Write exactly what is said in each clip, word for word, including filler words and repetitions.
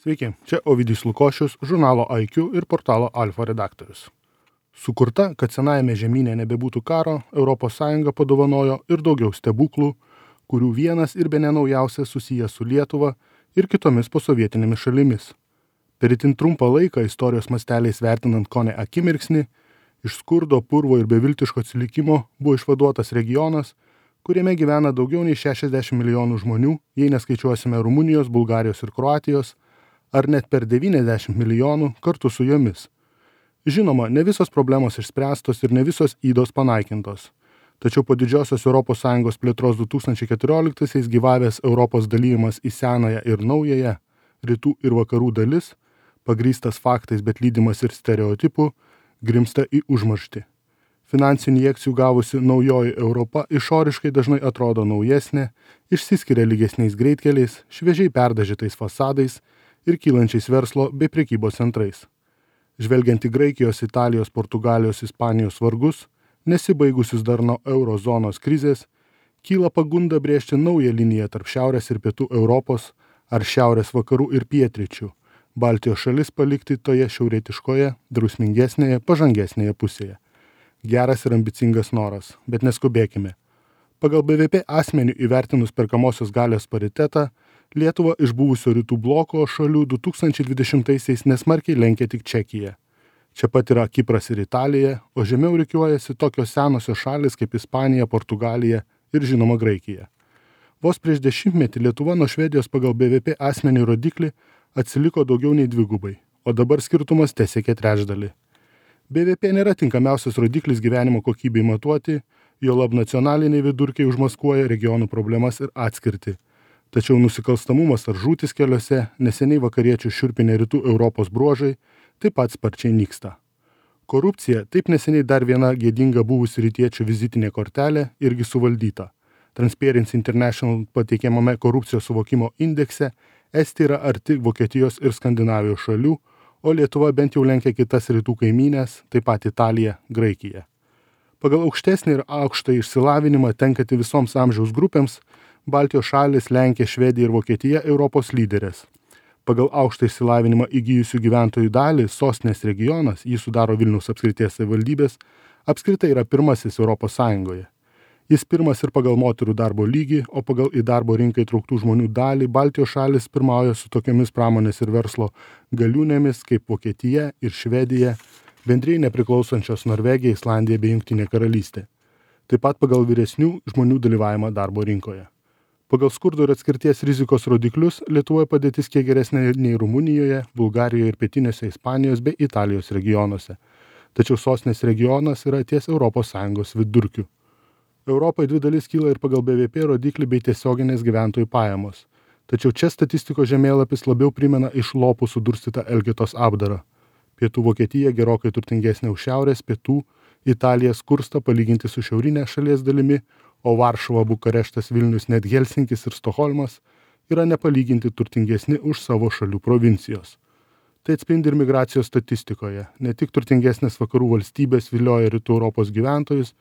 Sveiki, čia Ovidijus Lukošius, žurnalo I Q ir portalo Alfa redaktorius. Sukurta, kad senajame žemyne nebebūtų karo, Europos Sąjunga padovanojo ir daugiau stebuklų, kurių vienas ir bene naujausias susijęs su Lietuva ir kitomis posovietinėmis šalimis. Per itin trumpą laiką istorijos masteliais vertinant kone akimirksnį, iš skurdo, purvo ir beviltiško atsilikimo buvo išvaduotas regionas, kuriame gyvena daugiau nei šešiasdešimt milijonų žmonių, jei neskaičiuosime Rumunijos, Bulgarijos ir Kroatijos, ar net per devyniasdešimt milijonų kartu su jomis. Žinoma, ne visos problemos išspręstos ir ne visos ydos panaikintos. Tačiau po didžiosios Europos Sąjungos plėtros du tūkstančiai keturioliktaisiais gyvavęs Europos dalyjimas į senąją ir naująją, rytų ir vakarų dalis, pagrįstas faktais, bet lydimas ir stereotipų, grimsta į užmarštį. Finansinių injekcijų gavusi naujoji Europa išoriškai dažnai atrodo naujesnė, išsiskiria lygesniais greitkeliais, šviežiai perdažytais fasadais ir kylančiais verslo bei prekybos centrais. Žvelgiant į Graikijos, Italijos, Portugalijos, Ispanijos vargus, nesibaigusius dar nuo euro zonos krizės, kyla pagunda brėžti naują liniją tarp šiaurės ir pietų Europos ar šiaurės vakarų ir pietryčių, Baltijos šalis palikti toje šiaurietiškoje, drausmingesnėje, pažangesnėje pusėje. Geras ir ambicingas noras, bet neskubėkime. Pagal B V P asmenių įvertinus perkamosios galios paritetą, Lietuva iš buvusio rytų bloko šalių du tūkstančiai dvidešimtaisiais nesmarkiai lenkia tik Čekiją. Čia pat yra Kipras ir Italija, o žemiau rikiuojasi tokios senosios šalis kaip Ispanija, Portugalija ir žinoma Graikija. Vos prieš dešimtmetį Lietuva nuo Švedijos pagal B V P asmenį rodiklį atsiliko daugiau nei dvigubai, o dabar skirtumas tesiekė trečdalį. B V P nėra tinkamiausias rodiklis gyvenimo kokybei matuoti, juolab nacionaliniai vidurkiai užmaskuoja regionų problemas ir atskirtį. Tačiau nusikalstamumas ar žūtis keliuose, neseniai vakariečių šiurpinė rytų Europos bruožai, taip pat sparčiai nyksta. Korupcija, taip neseniai dar viena gėdinga buvusi rytiečių vizitinė kortelė, irgi suvaldyta. Transparency International pateikiamame korupcijos suvokimo indekse Estija yra arti Vokietijos ir Skandinavijos šalių, o Lietuva bent jau lenkia kitas rytų kaimynės, taip pat Italija, Graikija. Pagal aukštesnį ir aukštą išsilavinimą tenkantį visoms amžiaus grupėms, Baltijos šalis, Lenkija, Švedija ir Vokietija Europos lyderės. Pagal aukštą išsilavinimą įgijusių gyventojų dalį sostinės regionas, jį sudaro Vilniaus apskrities savivaldybės, apskritai yra pirmasis Europos Sąjungoje. Jis pirmas ir pagal moterų darbo lygį, o pagal į darbo rinką įtrauktų žmonių dalį Baltijos šalis pirmauja su tokiamis pramonės ir verslo galiūnėmis kaip Vokietija ir Švedija, bendrijai nepriklausančios Norvegija, Islandija bei Jungtinė karalystė. Taip pat pagal vyresnių žmonių dalyvavimą darbo rinkoje. Pagal skurdo ir atskirties rizikos rodiklius Lietuvoje padėtis kiek geresnė nei Rumunijoje, Bulgarijoje ir pietinėse Ispanijos bei Italijos regionuose. Tačiau sostinės regionas yra ties Europos Sąjungos vidurkiu. Europai dvi dalis kyla ir pagal B V P rodiklį bei tiesioginės gyventojų pajamos. Tačiau čia statistikos žemėlapis labiau primena iš lopų sudurstytą Elgetos apdarą. Pietų Vokietija gerokai turtingesnė už šiaurės, pietų Italija skursta palyginti su šiaurinė šalies dalimi, o Varšuva, Bukareštas, Vilnius, net Helsinkis ir Stokholmas yra nepalyginti turtingesni už savo šalių provincijos. Tai atspindi ir migracijos statistikoje. Ne tik turtingesnės vakarų valstybės vilioja rytų Europos gyventojus,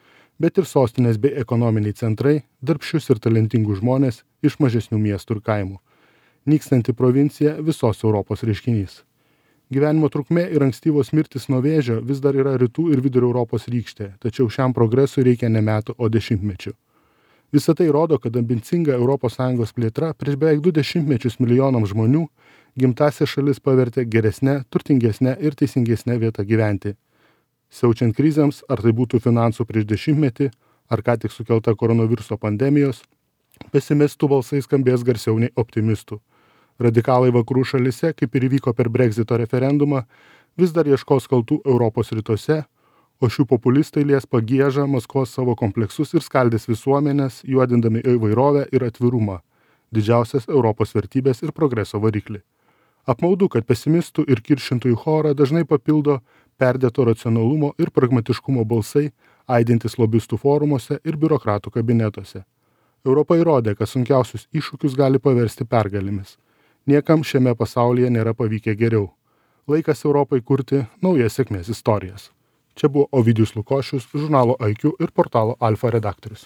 bet ir sostinės bei ekonominiai centrai, darbščius ir talentingus žmonės iš mažesnių miestų ir kaimų. Nykstanti provincija visos Europos reiškinys. Gyvenimo trukmė ir ankstyvos mirtis nuo vėžio vis dar yra rytų ir vidurio Europos rykštė, tačiau šiam progresui reikia ne metų, o dešimtmečių. Visą tai rodo, kad ambicinga Europos Sąjungos plėtra prieš beveik du dešimtmečius milijonams žmonių gimtąsias šalis pavertė geresnę, turtingesnę ir teisingesnę vietą gyventi. Siaučiant krizėms, ar tai būtų finansų prieš dešimtmetį, ar ką tik sukelta koronaviruso pandemijos, pesimistų balsai skambės garsiau nei optimistų. Radikalai vakarų šalise, kaip ir įvyko per Brexito referendumą, vis dar ieškos kaltų Europos rytuose, o šių populistai lies pagiežą, maskuos savo kompleksus ir skaldys visuomenės, juodindami įvairovę ir atvirumą, didžiausias Europos vertybės ir progreso variklį. Apmaudu, kad pesimistų ir kiršintojų chorą dažnai papildo perdėto racionalumo ir pragmatiškumo balsai, aidintis lobistų forumuose ir biurokratų kabinetuose. Europa įrodė, kad sunkiausius iššūkius gali paversti pergalėmis. Niekam šiame pasaulyje nėra pavykę geriau. Laikas Europai kurti naujas sėkmės istorijas. Čia buvo Ovidijus Lukošius, žurnalo I Q ir portalo Alfa redaktorius.